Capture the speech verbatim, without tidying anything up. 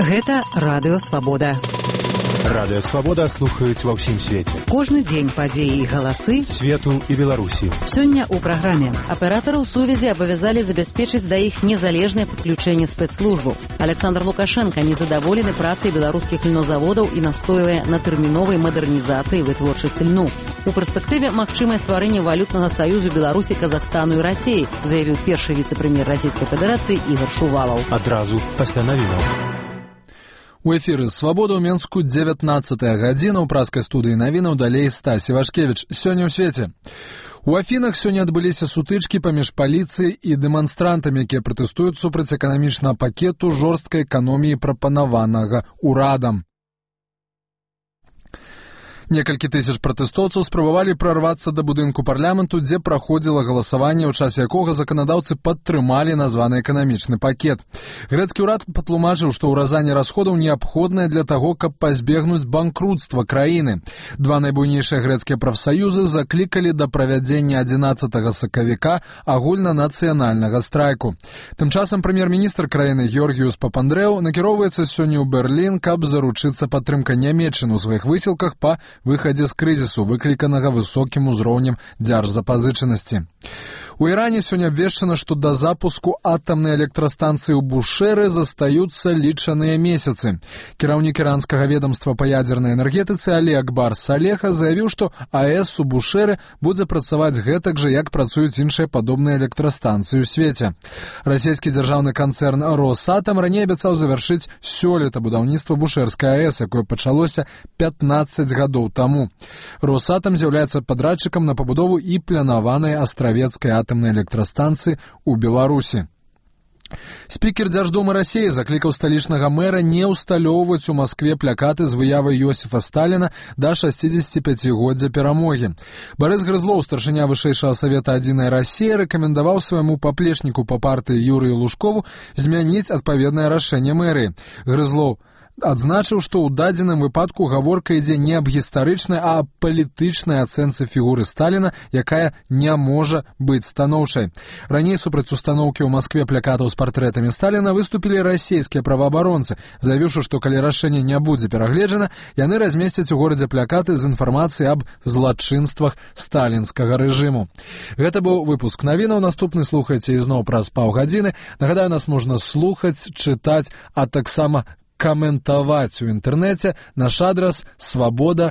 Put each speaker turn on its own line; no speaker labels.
Гэта Радыё Свабода.
Радыё Свабода слухаюць ва ўсім свеце.
Кожны дзень падзеі і галасы
свету і Беларусі.
Сёння ў праграме аператараў сувязі абавязалі забяспечыць да іх незалежнае падключэнне спецслужбаў. Александр Лукашенко незадаволены працай беларускіх льнозаводаў і настойвае на тэрміновай мадэрнізацыі вытворчасці льну. У перспектыве магчымае стварэнне валютнага саюзу Беларусі, Казахстану і Расіі, заявіў першы віцэ-прэм'ер Расійскай Федэрацыі Ігор Шувалаў.
Адразу пасля навінаў.
У эфіры «Свабода» ў Менску дзевятнаццатая гадзіна, ў праскай студыі навінаў далей Стась Івашкевіч. Сёння ў свеце. У Афінах сёння адбыліся сутычкі паміж паліцыяй і дэманстрантамі, якія пратэстуюць супраць эканамічнага пакету жорсткай эканоміі, прапанаванага ўрадам. Некалькі тысяч пратэстоўцаў спрабавалі прарвацца да будынку парламенту, дзе праходзіла галасаванне, у часе якога заканадаўцы падтрымалі названы эканамічны пакет. Грэцкі ўрад патлумачыў, што ўразанне расходаў неабходнае для таго, каб пазбегнуць банкрутства краіны. Два найбуйнейшыя грэцкія прафсаюзы заклікалі да правядзення адзінаццатага сакавіка агульнанацыянальнага страйку. Тым часам прэм'ер-міністр краіны Георгіюс Папандрэў накіроўваецца сёння ў Берлін, каб заручыцца падтрымкай Нямецчыны ў сваіх высілках па выхадзе з крызісу, выкліканага высокім узроўнем дзяржзапазычанасці. У Іране сёння абвешчана, што да запуску атамнай электрастанцыі ў Бушэры застаюцца лічаныя месяцы. Кіраўнік іранскага ведамства па ядзернай энергетыцы Алі Акбар Салеха заявіў, што АЭС у Бушэры будзе працаваць гэтак жа, як працуюць іншыя падобныя электрастанцыі ў свеце. Расійскі дзяржаўны канцэрн «Росатам» раней абяцаў завяршыць сёлета будаўніцтва Бушэрскай АЭС, якое пачалося пятнаццаць гадоў таму. «Росатам» з'яўляецца падрадчыкам на пабудову і планаванай астравецкай атамнай электрастанцыі ў Беларусі. Спікер Дзярждумы Расіі заклікаў сталічнага мэра не ўсталёўваць у Маскве плакаты з выявай Йосіфа Сталіна да шасцідзесяціпяцігоддзя перамогі. Барыс Грызлоў, старшыня вышэйшага савета «Адзіная Расія», рэкамендаваў свайму паплечніку па партыі Юрыю Лужкову змяніць адпаведнае рашэнне мэрыі. Грызлоў адзначыў, што ў дадзеным выпадку гаворка ідзе не аб гістарычнай, а аб палітычнай ацэнцы фігуры Сталіна, якая не можа быць станоўчай. Раней супраць устаноўкі ў Маскве плакатаў з партрэтамі Сталіна выступілі расійскія праваабаронцы, заявіўшы, што калі рашэнне не будзе перагледжана, яны размесцяць у горадзе плакаты з інфармацыяй аб злачынствах сталінскага рэжыму. Гэта быў выпуск навінаў, наступны слухайце ізноў праз паўгадзіны. Нагадаю, нас можна слухаць, чытаць, а таксама каментаваць у інтэрнэце. Наш адрас свабода